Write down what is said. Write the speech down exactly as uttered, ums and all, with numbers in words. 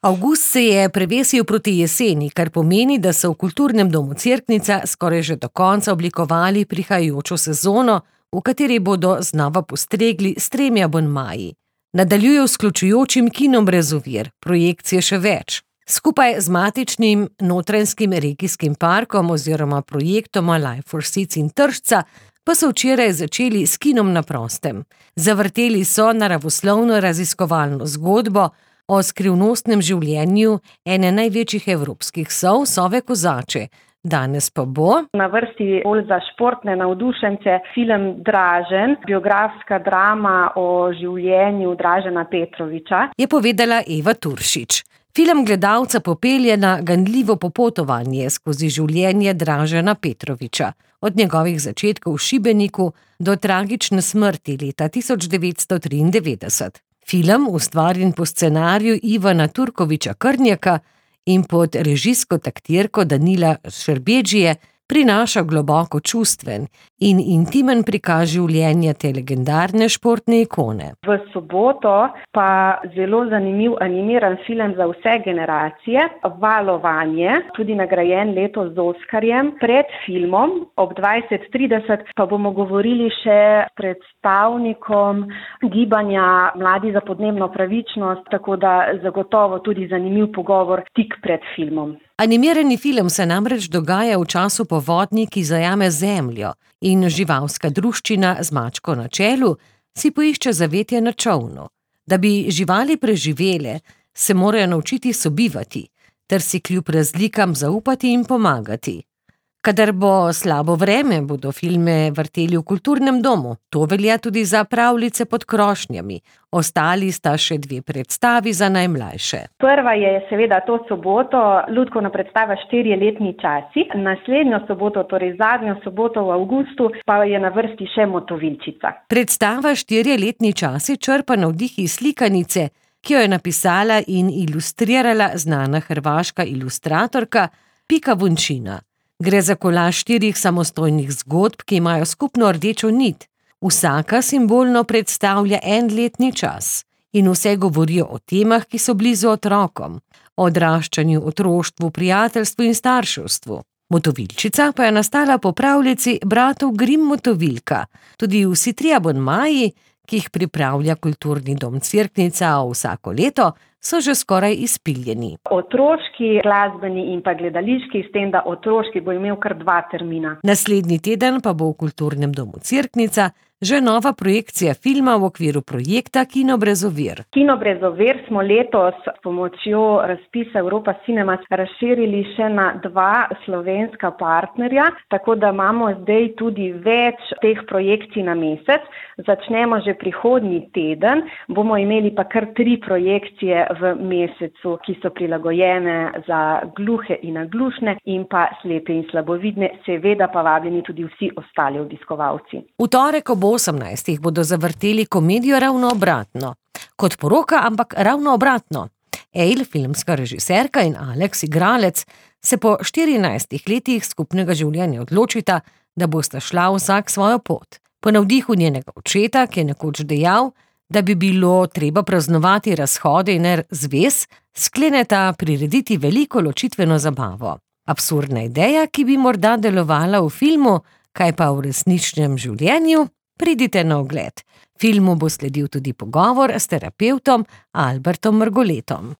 Avgust se je prevesil proti jeseni, kar pomeni, da so v Kulturnem domu Cerknica skoraj že do konca oblikovali prihajajočo sezono, v kateri bodo znova postregli s tremi abonmaji. Nadaljujejo s vključujočim kinom brez ovir, projekcije še več. Skupaj z matičnim Notranjskim regijskim parkom oziroma projektoma Life for Seeds in Tržca pa so včeraj začeli s kinom na prostem. Zavrteli so naravoslovno raziskovalno zgodbo o skrivnostnem življenju ene največjih evropskih sov, sove Kozače. Danes pa bo na vrsti bolj za športne navdušence film Dražen, biografska drama o življenju Dražena Petroviča, je povedala Eva Turšič. Film gledalca popelje na ganljivo popotovanje skozi življenje Dražena Petroviča, od njegovih začetkov v Šibeniku do tragične smrti leta tisoč devetsto triindevetdeset. Film, ustvarjen po scenariju Ivana Turkoviča Krnjaka in pod režijsko taktirko Danila Šerbedžije, prinaša globoko čustven in intimen prikaz življenja te legendarne športne ikone. V soboto pa zelo zanimiv animiran film za vse generacije, Valovanje, tudi nagrajen letos z Oskarjem. Pred filmom ob dvajset trideset pa bomo govorili še s predstavnikom gibanja Mladi za podnebno pravičnost, tako da zagotovo tudi zanimiv pogovor tik pred filmom. Animirani film se namreč dogaja v času povodnji, ki zajame zemljo, in živalska druščina z mačko na čelu si poišče zavetje na čolnu. Da bi živali preživele, se morajo naučiti sobivati, ter si kljub razlikam zaupati in pomagati. Kadar bo slabo vreme, bodo filme vrteli v Kulturnem domu. To velja tudi za Pravljice pod krošnjami. Ostali sta še dve predstavi za najmlajše. Prva je seveda to soboto lutkovna predstava Štirje letni časi. Naslednjo soboto, torej zadnjo soboto v avgustu, pa je na vrsti še Motovilčica. Predstava Štirje letni časi črpa navdih iz slikanice, ki jo je napisala in ilustrirala znana hrvaška ilustratorka Pika Vončina. Gre za kolaž štirih samostojnih zgodb, ki imajo skupno rdečo nit. Vsaka simbolno predstavlja en letni čas in vse govorijo o temah, ki so blizu otrokom, o odraščanju, otroštvu, prijateljstvu in starševstvu. Motovilčica pa je nastala po pravljici bratov Grimm Motovilka. Tudi vsi tri abonmaji, ki jih pripravlja Kulturni dom Cerknica vsako leto, so že skoraj izpiljeni. Otroški, glasbeni in pa gledališki, s tem, da otroški bo imel kar dva termina. Naslednji teden pa bo v Kulturnem domu Cerknica že nova projekcija filma v okviru projekta Kino brez ovir. Kino brez ovir smo letos s pomočjo razpisa Europa Cinemas razširili še na dva slovenska partnerja, tako da imamo zdaj tudi več teh projekcij na mesec. Začnemo že prihodnji teden, bomo imeli pa kar tri projekcije v mesecu, ki so prilagojene za gluhe in naglušne in pa slepe in slabovidne, seveda pa vabljeni tudi vsi ostali obiskovalci. V torek ob osemnajstih bodo zavrteli komedijo Ravno obratno. Kot poroka, ampak ravno obratno. Ejl, filmska režiserka, in Aleks, igralec, se po štirinajstih letih skupnega življenja odločita, da bosta šla vsak svojo pot. Po navdihu njenega očeta, ki je nekoč dejal, da bi bilo treba praznovati razhode in zvez, skleneta prirediti veliko ločitveno zabavo. Absurdna ideja, ki bi morda delovala v filmu, kaj pa v resničnem življenju? Pridite na ogled. Filmu bo sledil tudi pogovor s terapevtom Albertom Mrgoletom.